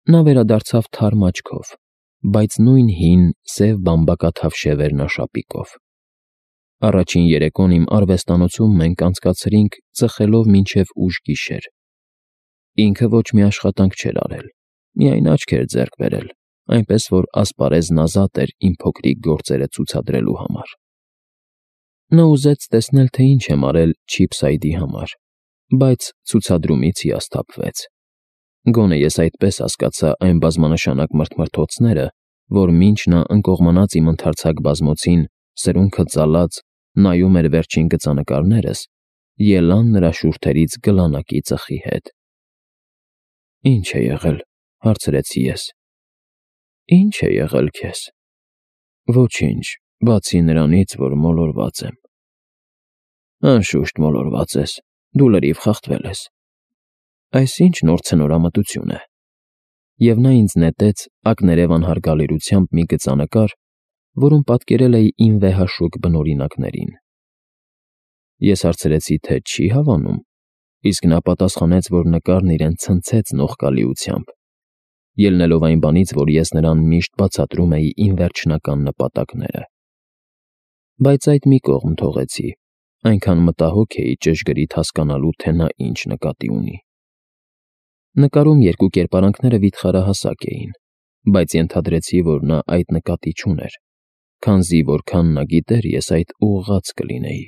Նա վերադարձավ թարմ աչքով, բայց նույն հին, սև բամբակաթավ շևերնաշապիկով։ Առաջին երեկոն իմ արվեստանոցում մենք անցկացրինք ծխելով մինչև ուշ գիշեր։ Ինքը ոչ մի աշխատանք չէր արել, միայն աչք էր ձեռք բերել, այնպես որ ասպարեզն ազատ էր իմ փոքրիկ գործերը ցուցադրելու համար։ Նա ուզեց տեսնել, թե ինչ եմ արել Չիփսայդի համար, բայց ցուցադրումից հիասթափվեց։ Գոնե ես այդպես հասկացա այն բազմանշանակ մրթմրթոցները, որ մինչ նա ընկողմանած իմ ընդարձակ բազմոցին սրունքը ծալած նայում էր վերջին գծանկարներս, ելան նրա շուրթերից գլանակի ծխի հետ։ «Ինչ է եղել», հարցրեցի ես։ «Ինչ է եղել քեզ»։ «Ոչինչ, բացի նրանից, որ մոլորված եմ»։ «Անշուշտ մոլորված ես, դու լրիվ խախտվել ես»։ «Այս ինչ նոր ցնորամտություն է»։ Եվ նա ինձ նետեց ակներևան հարգալիրությամբ մի գծանկար, որում պատկերել էի իմ վեհաշուկ բնօրինակներին։ Ես հարցրեցի, թե չի հավանում, իսկ նա պատասխանեց, որ նկարն իրեն ցնցեց նողկալիությամբ, ելնելով այն բանից, որ ես նրան միշտ բացատրում էի իմ վերջնական նպատակները։ Բայց այդ մի կողմ թողեցի, այնքան մտահոգ էի ճշգրիտ հասկանալու, թե նա ինչ նկատի ունի։ Նկարում երկու կերպարանքները վիթխարահասակ էին, բայց ենթադրեցի, որ նա այդ նկատի չուներ, քանզի որքան նա գիտեր, ես այդ ուղղված կլինեի։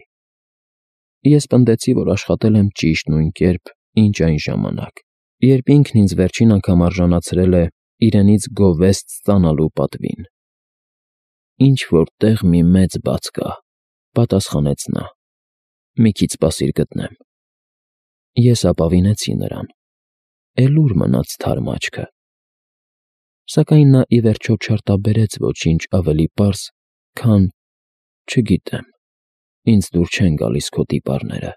Ես պնդեցի, որ աշխատել եմ ճիշտ նույն կերպ, ինչ այն ժամանակ, երբ ինքն ինձ վերջին անգամ արժանացրել է իրենից գովեստ ստանալու պատվին։ «Ինչ-որ տեղ մի մեծ բաց կա», պատասխանեց նա։ «Մի քիչ սպասիր գտնեմ»։ Ես ապավինեցի նրան։ Էլ ուր մնաց թարմ աչքը։ Սակայն նա ի վերջո չարտաբերեց ոչինչ ավելի պարզ, քան «Չգիտեմ, ինձ դուր չեն գալիս քո տիպարները»։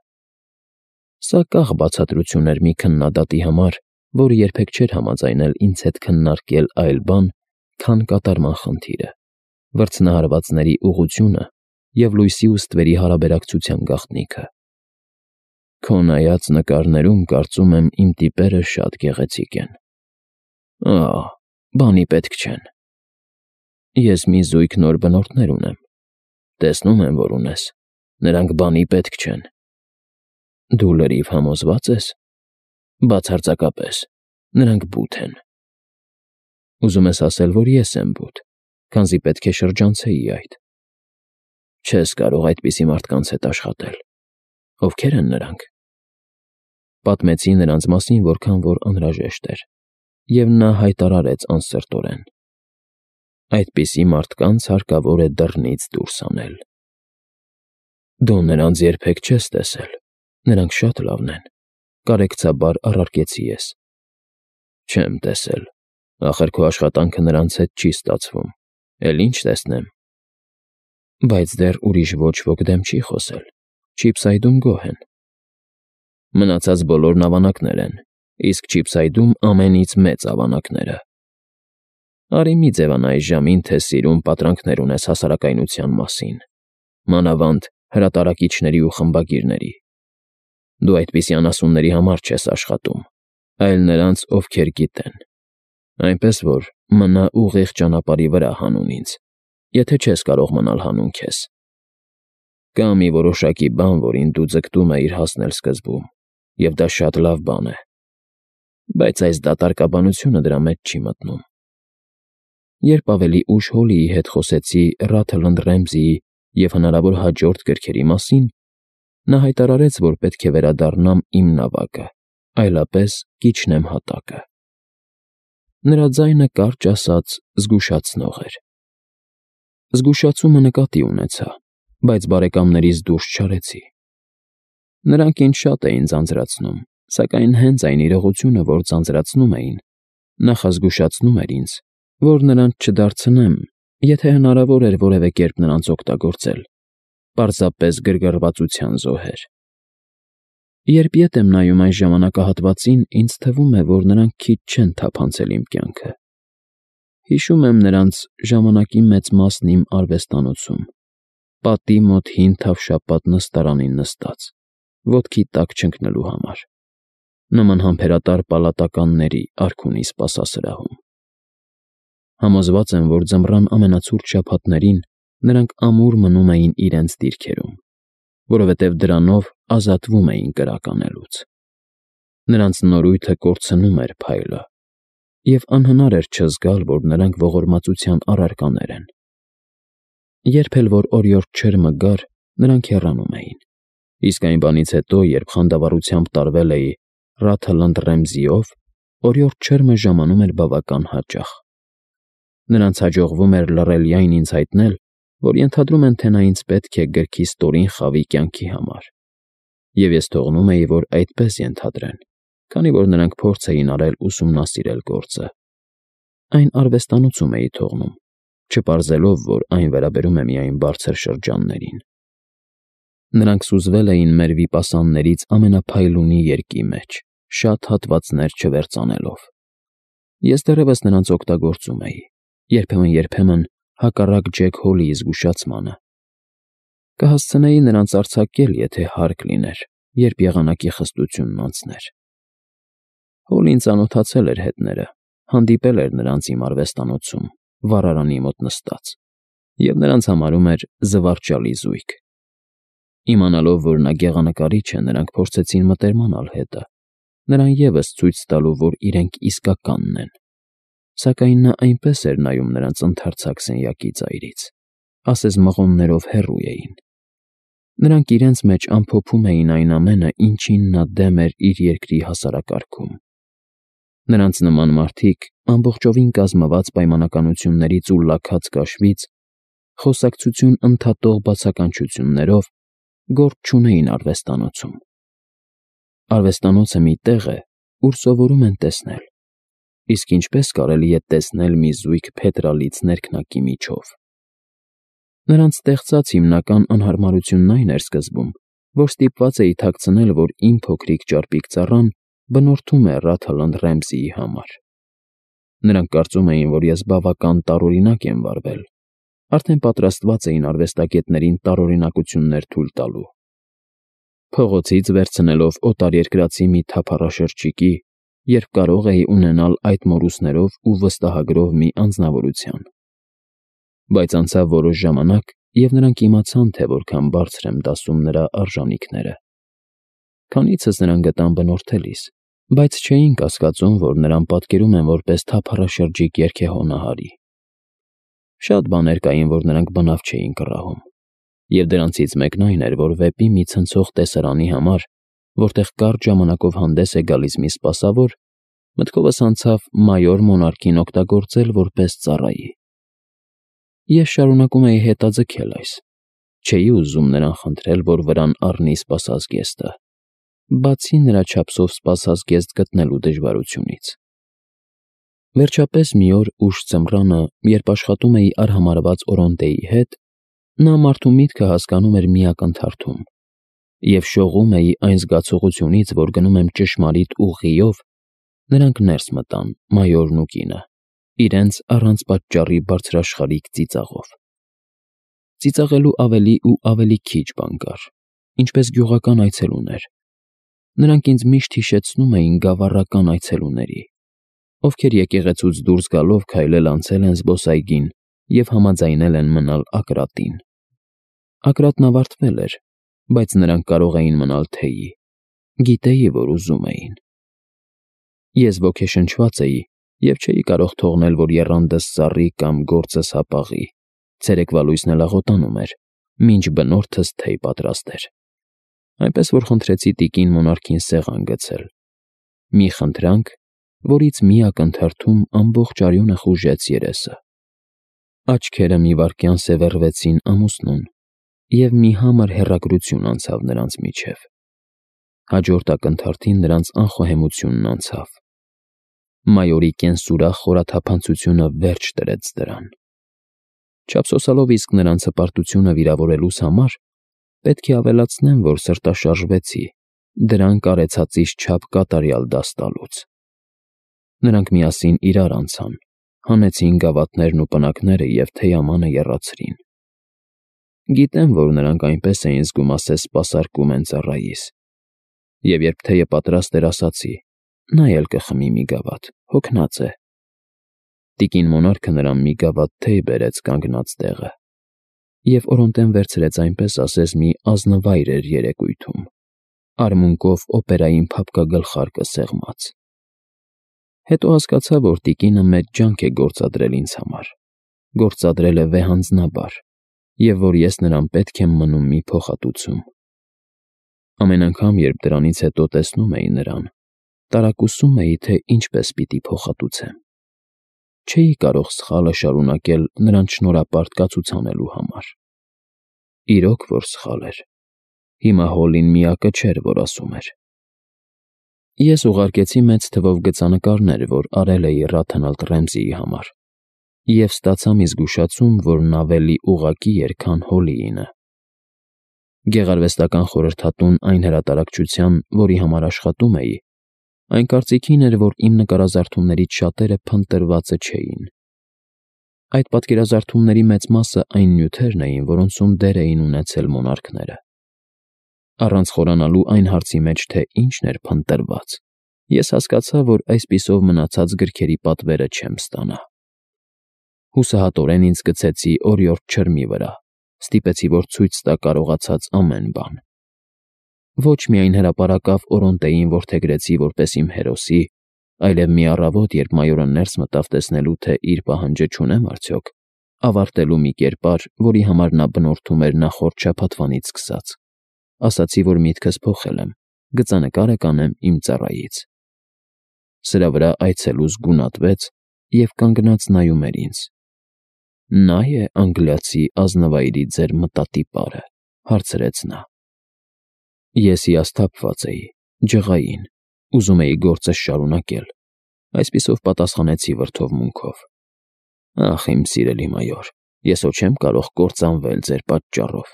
Սա կախ բացատրություն էր մի քննադատի համար, որը երբեք չէր համաձայնել ինձ հետ քննարկել այլ բան, քան կատարման խնդիրը, վրձնահարվածների ուղղությունը և լույսի ու ստվերի հարաբերակցության գաղտնիքը։ Քո նայած նկարներում, կարծում եմ, իմ տիպերը շատ գեղեցիկ են։ Ահ, բանի պետք չեն։ Ես մի զույգ նոր բնորդներ ունեմ։ Տեսնում եմ, որ ունես։ Նրանք բանի պետք չեն։ Դու լրիվ համոզված ես։ Բացարձակապես, նրանք բութ են։ Ուզում ես ասել, որ ես եմ բութ, քանզի պետք է շրջանցեի այդ։ Չես կարող այդպիսի մարդկանց հետ աշխատել։ Ովքեր են նրանք։ Պատմեցի նրանց մասին, որքան որ անհրաժեշտ էր, և նա հայտարարեց անսրտորեն. այդպիսի մարդկանց հարկավոր է դռնից դուրս անել։ Դու նրանց երբեք չես տեսել, նրանք շատ լավն են, կարեկցաբար առարկեցի ես։ Չեմ տեսել, ախր քո աշխատանքը նրանց հետ չի ստացվում, էլ ինչ տեսնեմ։ Բայց դեռ ուրիշ ոչ ոք դեմ չի խոսել, Չիփսայդում գոհ են։ Մնացած բոլորն ավանակներ են, իսկ Չիփսայդում ամենից մեծ ավանակները։ Արի մի ձևանա այս ժամին, թե սիրուն պատրանքներ ունես հասարակայնության մասին, մանավանդ հրատարակիչների ու խմբագիրների։ Դու այդպիսի անասունների համար չես աշխատում, այլ նրանց, ովքեր գիտեն։ Այնպես որ մնա ուղիղ ճանապարհի վրա հանուն ինձ, եթե չես կարող մնալ հանուն քեզ։ Կա մի որոշակի բան, որին դու ձգտում էիր հասնել սկզբում, և դա շատ լավ բան է, բայց այս դատարկաբանությունը դրա մեջ չի մտնում։ Երբ ավելի ուշ Հոլիի հետ խոսեցի Ռաթլընդ Ռեմզիի և հնարավոր հաջորդ գրքերի մասին, նա հայտարարեց, որ պետք է վերադառնամ իմ նավակը, այլապես կիջնեմ հատակը։ Նրա ձայնը, կարճ ասած, զգուշացնող էր։ Զգուշացումը նկատի ունեցա, բայց բարեկամներից դուրս չարեցի։ Նրանք ինձ շատ էին ձանձրացնում, սակայն հենց այն իրողությունը, որ ձանձրացնում էին, նախազգուշացնում էր ինձ, որ նրանց չդարձնեմ, եթե հնարավոր էր որևէ կերպ նրանց օգտագործել, պարզապես գրգռվածության զոհեր։ Երբ ետ եմ նայում այս ժամանակահատվածին, ինձ թվում է, որ նրանք քիչ չեն թափանցել իմ կյանքը։ Հիշում եմ նրանց ժամանակի մեծ մասն իմ արվեստանոցում, պատի մոտ հին թավշապատ նստարանին նստած, ոտքի տակ չընկնելու համար։ նման համբերատար պալատականների արքունի սպասասրահում։ Համոզված եմ, որ ձմռան ամենացուրտ շաբաթներին նրանք ամուր մնում էին իրենց դիրքերում, որովհետև դրանով ազատվում էին կրականելուց։ Նրանց նորույթը կորցնում էր փայլը, և անհնար էր չզգալ, որ նրանք ողորմածության առարկաներ են։ Երբ էլ որ օրիորդ չերմը գար, նրանք հեռանում էին, իսկ այն բանից հետո, երբ խանդավառությամբ տարվել էի Ռաթլընդ Ռեմզիով, օրիորդ չերմը ժամանում էր բավական հաճախ։ Նրանց հաջողվում էր լռելիայն ինձ հայտնել, որ ենթադրում են, թե նա ինձ պետք է գրքի ստորին խավի կյանքի համար, և ես թողնում էի, որ այդպես ենթադրեն, քանի որ նրանք փորձ էին արել ուսումնասիրել գործը։ Այն արվեստանոցում էի թողնում, չպարզելով, որ այն վերաբերում է միայն բարձր շրջաններին։ Նրանք սուզվել էին մեր վիպասաններից ամենափայլունի երկի մեջ, շատ հատվածներ չվերծանելով։ Ես դեռևս նրանց օգտագործում էի, երբեմն հակառակ Ջեք Հոլիի զգուշացմանը։ Կհասցնեի նրանց արձակել, եթե հարկ լիներ, երբ եղանակի խստությունն անցներ։ Հոլին ծանոթացել էր հետները, հանդիպել էր նրանց իմ արվեստանոցում, վառարանի մոտ նստած, և նրանց համարում էր զվարճալի զույգ։ Իմանալով, որ նա գեղանկարիչ է, նրանք փորձեցին մտերմանալ հետը, նրան ևս ցույց տալու, որ իրենք իսկականն են, սակայն նա այնպես էր նայում նրանց ընդարձակ սենյակի ծայրից, ասես մղոններով հեռու էին։ Նրանք իրենց մեջ ամփոփում էին այն ամենը, ինչին նա դեմ էր իր երկրի հասարակարգում։ Նրանց նման մարդիկ, ամբողջովին կազմված պայմանականություններից ու լաքած կաշվից, խոսակցություն ընդհատող բացականչություններով, գործ չունեին արվեստանոցում։ Արվեստանոցը մի տեղ է, ուր սովորում են տեսնել, իսկ ինչպես կարելի է տեսնել մի զույգ փետրալից ներքնակի միջով։ Նրանց ստեղծած հիմնական անհարմարությունն այն էր սկզբում, որ ստիպված էի թաքցնել, որ իմ փոքրիկ ճարպիկ ծառան բնորդում է Ռաթլընդ Ռեմզիի համար։ Նրանք կարծում էին, որ ես բավական տարօրինակ եմ վարվել, արդեն պատրաստված էին արվեստագետներին տարօրինակություններ թույլ տալու։ Փողոցից վերցնելով օտարերկրացի մի թափառաշրջիկի, երբ կարող էի ունենալ այդ մորուսներով ու վստահագրով մի անձնավորության։ Բայց անցավ որոշ ժամանակ, և նրանք իմացան, թե որքան բարձր եմ դասում նրա արժանիքները։ Քանիցս նրան գտան բնորդելիս, բայց չէին կասկածում, որ նրան պատկերում են որպես թափառաշրջիկ երգեհոնահարի։ Շատ բաներ կային, որ նրանք բնավ չէին կռահում, և դրանցից մեկն այն էր, որ վեպի մի ցնցող տեսարանի համար, որտեղ կարճ ժամանակով հանդես է գալիս մի սպասավոր, մտքովս անցավ մայոր Մոնարքին օգտագործել որպես ծառայի։ Ես շարունակում էի հետաձգել այս, չէի ուզում նրան խնդրել, որ վրան առնի սպասազգեստը, բացի նրա չափսով սպասազգեստ գտնելու դժվարությունից։ Վերջապես մի օր ուշ ձմռանը, երբ աշխատում էի արհամարհված Օրոնտեի հետ, նա մարդու միտքը հասկանում էր մի ակնթարթում, և շողում էի այն զգացողությունից, որ գնում եմ ճշմարիտ ուղիով, նրանք ներս մտան, մայորն ու կինը, իրենց առանց պատճառի բարձրաշխարհիկ ծիծաղով։ Ծիծաղելու ավելի ու ավելի քիչ բան կար, ինչպես գյուղական այցելուներ։ Նրանք ինձ միշտ հիշեցնում էին գավառական այցելուների, ովքեր եկեղեցուց դուրս գալով քայլել անցել են զբոսայգին և համաձայնել են մնալ Ակրատին։ Ակրատն ավարտվել էր, բայց նրանք կարող էին մնալ թեյի, գիտեի, որ ուզում էին։ Ես ոգեշնչված էի և չէի կարող թողնել, որ եռանդս սառի կամ գործս հապաղի, ցերեկվա լույսն էլ աղոտանում էր, մինչ բնորդս թեյ պատրաստեր։ Այնպես որ խնդրեցի տիկին Մոնարքին սեղան գցել, մի խնդրանք, որից մի ակնթարթում ամբողջ արյունը խուժեց երեսը։ Աչքերը մի վայրկյան սևեռվեցին ամուսնուն, և մի համր հեռագրություն անցավ նրանց միջև։ Հաջորդ ակնթարթին նրանց անխոհեմությունն անցավ։ Մայորի կենսուրախ խորաթափանցությունը վերջ դրեց դրան։ Չափսոսալով իսկ նրանց հպարտությունը վիրավորելուս համար, պետք է ավելացնեմ, որ սրտաշարժվեցի, դրանք արեցածից չափ կատարյալ դաս տալուց։ Նրանք միասին իրար անցան, հանեցին գավաթներն ու պնակները և թեյամանը եռացրին։ Գիտեմ, որ նրանք այնպես էին զգում, ասես սպասարկում են ծառայիս։ Եվ երբ թեյը պատրաստ էր, ասացի. նա էլ կխմի մի գավաթ, հոգնած է։ Տիկին Մոնարքը նրան մի գավաթ թեյ բերեց կանգնած տեղը, և օրոնտեն վերցրեց այնպես ասես մի ազնվայր էր երեկույթում, արմունկով օպերային փափկագլխարկը սեղմած։ Հետո հասկացա, որ տիկինը մեծ ջանք է գործադրել ինձ համար, գործադրել է վեհանձնաբար, և որ ես նրան պետք եմ մնում մի փոխհատուցում։ Ամեն անգամ, երբ դրանից հետո տեսնում էի նրան, տարակուսում էի, թե ինչպես պիտի փոխհատուցեմ։ Չէի կարող սխալը շարունակել նրան շնորհապարտ կացուցանելու համար։ Իրոք որ սխալ էր։ Հիմա Հոլլին միակը չէր, որ ասում էր։ Ես ուղարկեցի մեծ թվով գծանկարներ, որ արել էի Ռաթանալդ Ռեմզիի համար, և ստացա մի զգուշացում, որն ավելի ուղղակի էր, քան Հոլլիինը։ Գեղարվեստական խորհրդատուն այն հրատարակչության, որի համար աշխատում էի, այն կարծիքին էր, որ իմ նկարազարդումներից շատերը փնտրվածը չէին։ Այդ պատկերազարդումների մեծ մասը այն նյութերն էին, որոնցում դեր էին ունեցել մոնարքները։ Առանց խորանալու այն հարցի մեջ, թե ինչն էր փնտրված, ես հասկացա, որ այսպիսով մնացած գրքերի պատվերը չեմ ստանա։ Հուսահատորեն ինձ գցեցի օրիորդ չրմի վրա, ստիպեցի, որ ցույց տա կարողացած ամեն բան։ Ոչ միայն հրապարակավ Օրոնտեին որդեգրեցի որպես իմ հերոսի, այլև մի առավոտ, երբ մայորը ներս մտավ տեսնելու, թե իր պահանջը չունեմ արդյոք, ավարտելու մի կերպար, որի համար նա բնորդում էր նախորդ շաբաթվանից սկսած, ասացի, որ միտքս փոխել եմ, գծանկարը կանեմ իմ ծառայից։ Սրա վրա այցելուս գունատվեց և կանգնած նայում էր ինձ։ Նա է անգլիացի ազնվայրի ձեր մտատիպարը, հարցրեց նա։ Ես հիասթափված էի, ջղային, ուզում էի գործս շարունակել, այսպիսով պատասխանեցի վրդովմունքով. Ախ, իմ սիրելի մայոր, ես հո չեմ կարող կործանվել ձեր պատճառով։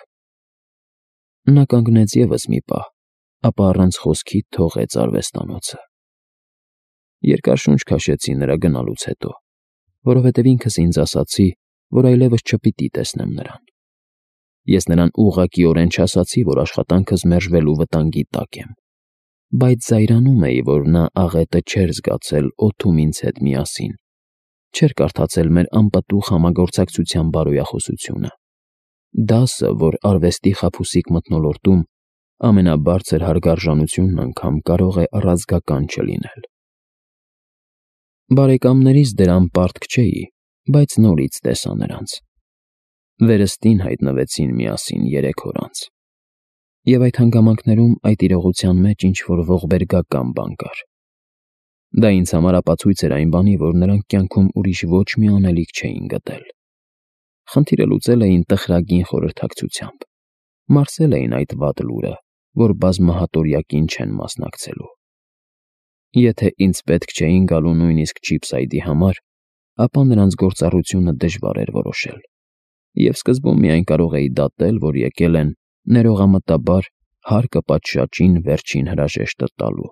Նա կանգնեց ևս մի պահ, ապա առանց խոսքի թողեց արվեստանոցը։ Երկար շունչ քաշեցի նրա գնալուց հետո, որովհետև ինքս ինձ ասացի, որ այլևս չպիտի տեսնեմ նրան։ Ես նրան ուղղակիորեն չասացի, որ աշխատանքս մերժվելու վտանգի տակ եմ, բայց զայրանում էի, որ նա աղետը չէր զգացել օդում ինձ հետ միասին, չէր կարդացել մեր անպտուղ համագործակցության բարոյախոսությունը, դասը, որ արվեստի խաբուսիկ մթնոլորտում ամենաբարձր հարգարժանությունն անգամ կարող է առազգական չլինել։ Բարեկամներիս դրան պարտք չէի, բայց նորից տեսա նրանց։ Վերստին հայտնվեցին միասին 3 օր անց։ Եվ այդ հանգամանքներում այդ իրողության մեջ ինչ-որ ողբերգական բան կար։ Դա ինձ համար ապացույց էր այն բանի, որ նրանք կյանքում ուրիշ ոչ մի անելիք չէին գտել։ Խնդիրը լուծել էին տխրագին խորհրդակցությամբ, մարսել էին այդ վատ լուրը, որ բազմահատորյակին չեն մասնակցելու։ Եթե ինձ պետք չէին գալու նույնիսկ Չիփսայդի համար, ապա նրանց գործառությունը դժվար էր որոշել, և սկզբում միայն կարող էի դատել, որ եկել են ներողամտաբար հարկը պատշաճին վերջին հրաժեշտը տալու։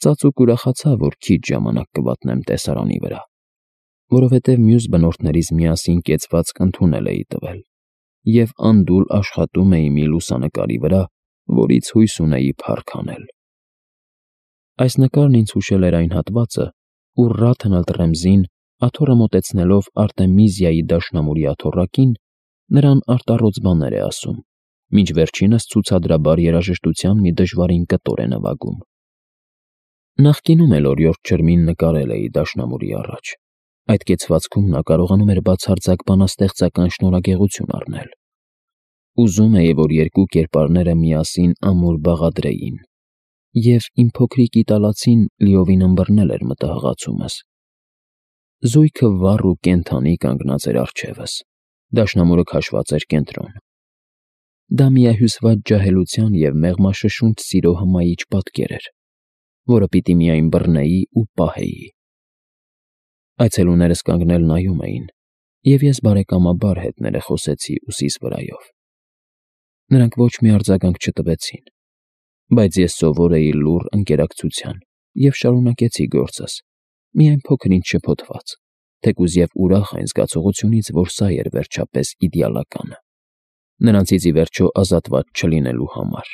Ծածուկ ուրախացա, որ քիչ ժամանակ կվատնեմ տեսարանի վրա, որովհետև մյուս բնորդներից միասին կեցվածք ընդունել էի տվել, և անդուլ աշխատում էի մի լուսանկարի վրա, որից հույս ունեի փառք անել։ Այս նկարն ինձ հուշել էր այն հատվածը, ուր Ռաթանալդ Ռեմզին, աթոռը մոտեցնելով Արտեմիզիայի դաշնամուրի աթոռակին, նրան արտառոց բաներ է ասում, մինչ վերջինս ցուցադրաբար երաժշտության մի դժվարին կտոր է նվագում։ Նախկինում էլ օրիորդ չրմին նկարել էի դաշնամուրի առաջ։ Այդ կեցվածքում նա կարողանում էր բացարձակ բանաստեղծական շնորհագեղություն առնել։ Ուզում էի, որ երկու կերպարները միասին ամուր բաղադրեին, և իմ փոքրիկ իտալացին լիովին ըմբռնել էր մտահղացումս։ Զույգը վառ ու կենդանի կանգնած էր առջևս, դաշնամուրը քաշված էր կենտրոն։ Դա միահյուսված ջահելության և մեղմաշշունչ սիրո հմայիչ պատկեր էր, որը պիտի միայն բռնեի ու պահեի։ Այցելուներս կանգնել նայում էին, և ես բարեկամաբար հետ ներխոսեցի ուսիս վրայով։ Նրանք ոչ մի արձագանք չտվեցին, բայց ես սովոր էի լուռ ընկերակցության և շարունակեցի գործս, միայն փոքր-ինչ շփոթված, թեկուզ և ուրախ այն զգացողությունից, որ սա էր վերջապես իդեալականը, նրանցից ի վերջո ազատված չլինելու համար։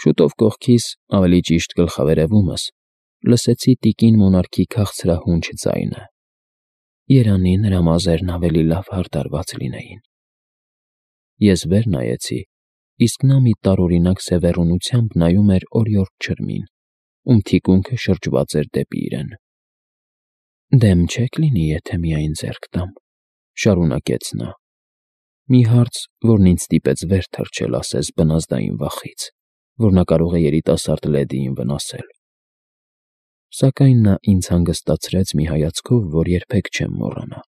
Շուտով կողքիս, ավելի ճիշտ գլխավերևումս, լսեցի տիկին մոնարքի քաղցրահունչ ձայնը. երանի նրա մազերն ավելի լավ հարդարված լինեին։ Ես վեր նայեցի, իսկ նա մի տարօրինակ սևեռունությամբ նայում էր օրիորդ ջրմին, ում թիկունքը շրջված էր դեպի իրեն։ «Դեմ չեք լինի, եթե միայն ձեռք տամ», շարունակեց նա։ Մի հարց, որն ինձ ստիպեց վեր թռչել ասես բնազդային վախից, որ նա կարող է երիտասարդ լեդիին վնասել։ Սակայն նա ինձ հանգստացրեց մի հայացքով, որ երբեք չեմ մոռանա։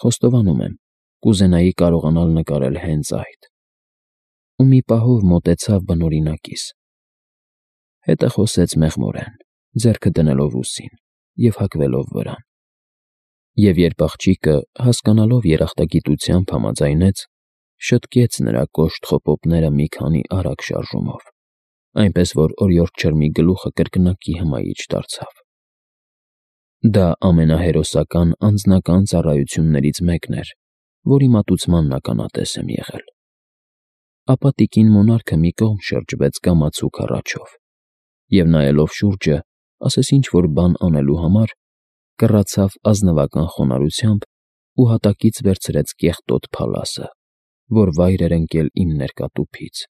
Խոստովանում եմ, կուզենայի կարողանալ նկարել հենց այդ։ Ու մի պահով մոտեցավ բնօրինակիս։ Հետը խոսեց մեղմորեն, ձեռքը դնելով ուսին և հագվելով վրան։ Եվ երբ աղջիկը, հասկանալով երախտագիտությամբ համաձայնեց, շտկեց նրա կոշտ խոպոպները մի քանի արագ շարժումով, այնպես որ օրիորդ ջրմի գլուխը կրկնակի հմայիչ դարձավ։ Դա ամենահերոսական անձնական ծառայություններից մեկն էր, որի մատուցման ականատես եմ եղել։ Ապա տիկին մոնարքը մի կողմ շրջվեց կամացուկ հառաչով և նայելով շուրջը, ասես ինչ-որ բան անելու համար, կռացավ ազնվական խոնարհությամբ ու հատակից վերցրեց կեղտոտ փալասը, որ վայր էր ընկել իմ ներկա տուփից։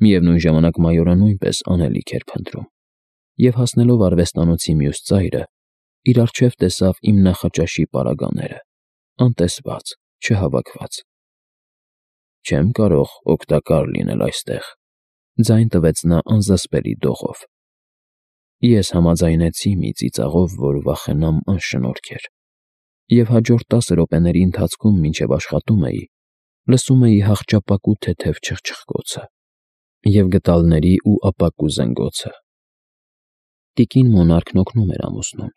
Միևնույն ժամանակ մայորը նույնպես անելիք էր փնտրում, և հասնելով արվեստանոցի մյուս ծայրը, իր առջև տեսավ իմ նախաճաշի պարագաները, անտեսված, չհավաքված։ «Չեմ կարող օգտակար լինել այստեղ», ձայն տվեց նա անզսպելի դողով։ Ես համաձայնեցի մի ծիծաղով, որ վախենամ անշնորհքեր, և հաջորդ 10 րոպեների ընթացքում, մինչև աշխատում էի, լսում էի հախճապակու թեթև չխչխկոցը և գդալների ու ապակու զնգոցը։ Տիկին մոնարքն օգնում էր ամուսնուն։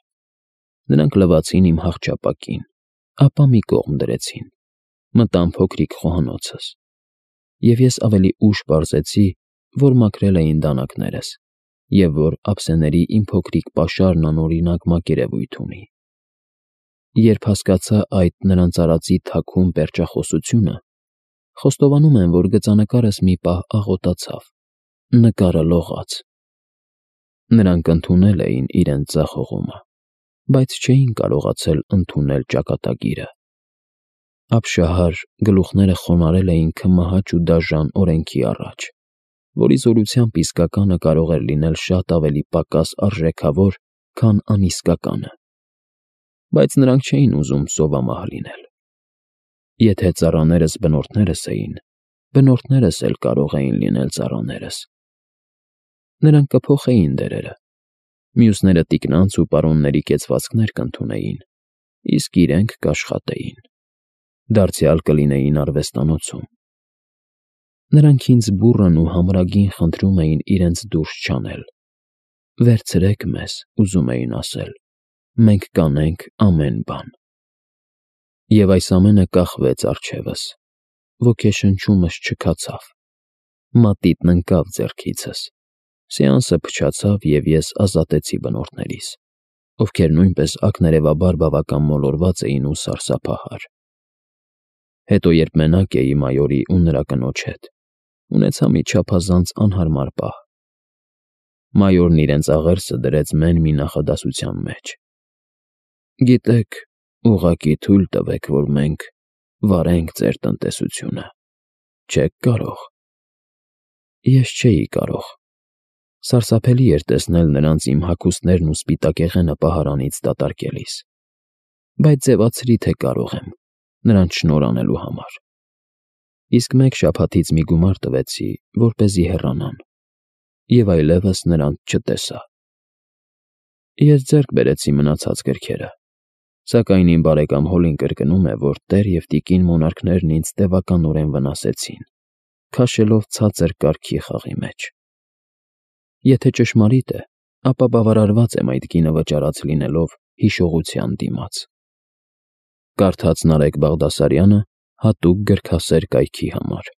Նրանք լվացին իմ հախճապակին, ապա մի կողմ դրեցին, մտան փոքրիկ խոհանոցս, և ես ավելի ուշ պարզեցի, որ մաքրել էին դանակներս և որ ափսեների իմ փոքրիկ պաշարն անօրինակ մակերևույթ ունի։ Երբ հասկացա այդ նրանց արածի թաքուն պերճախոսությունը, խոստովանում եմ, որ գծանկարս մի պահ աղոտացավ, նկարը լողաց։ Նրանք ընդունել էին իրենց ձախողումը, բայց չէին կարողացել ընդունել ճակատագիրը։ Ապշահար գլուխները խոնարհել էին քմահաճ ու դաժան օրենքի առաջ, որի զորությամբ իսկականը կարող էր լինել շատ ավելի պակաս արժեքավոր, քան անիսկականը։ Բայց նրանք չէին ուզում սովամահ լինել։ Եթե ծառաներս բնորդներս էին, բնորդներս էլ կարող էին լինել ծառաներս։ Նրանք կփոխեին դերերը։ Մյուսները տիկնանց ու պարոնների կեցվածքներ կընդունեին, իսկ իրենք կաշխատեին։ Դարձյալ կլինեին արվեստանոցում։ Նրանք ինձ բուռն ու համրագին խնդրում էին իրենց դուրս չանել։ «Վերցրեք մեզ», ուզում էին ասել, «մենք կանենք ամեն բան»։ Եվ այս ամենը կախվեց առջևս, ոգեշնչումս չքացավ, մատիտն ընկավ ձեռքիցս, սեանսը փչացավ և ես ազատեցի բնորդներիս, ովքեր նույնպես ակներևաբար բավական մոլորված էին ու սարսափահար։ Հետո երբ մենակ էի մայորի ու նրա կնոջ հետ, ունեցա մի չափազանց անհարմար պահ։ Մայորն իրենց աղերսը դրեց մեն մի նախադասության մեջ. «Գիտեք, ուղղակի թույլ տվեք, որ մենք վարենք ձեր տնտեսությունը, չեք կարող»։ Ես չէի կարող։ Սարսափելի էր տեսնել նրանց իմ հագուստներն ու սպիտակեղենը պահարանից դատարկելիս, բայց ձևացրի, թե կարող եմ, նրանց շնորհ անելու համար։ Իսկ մեկ շաբաթից մի գումար տվեցի, որպեսզի հեռանան, և այլևս նրանց չտեսա։ Ես ձեռք բերեցի մնացած գրքերը, սակայն իմ բարեկամ Հոլին կրկնում է, որ տեր և տիկին մոնարքներն ինձ տևականորեն վնասեցին, քաշելով ցածր կարգի խաղի մեջ։ Եթե ճշմարիտ է, ապա բավարարված եմ այդ կինը վճարած լինելով հիշողության դիմաց։ Կարդաց Նարեկ Բաղդասարյանը հատուկ գրքասեր կայքի համար։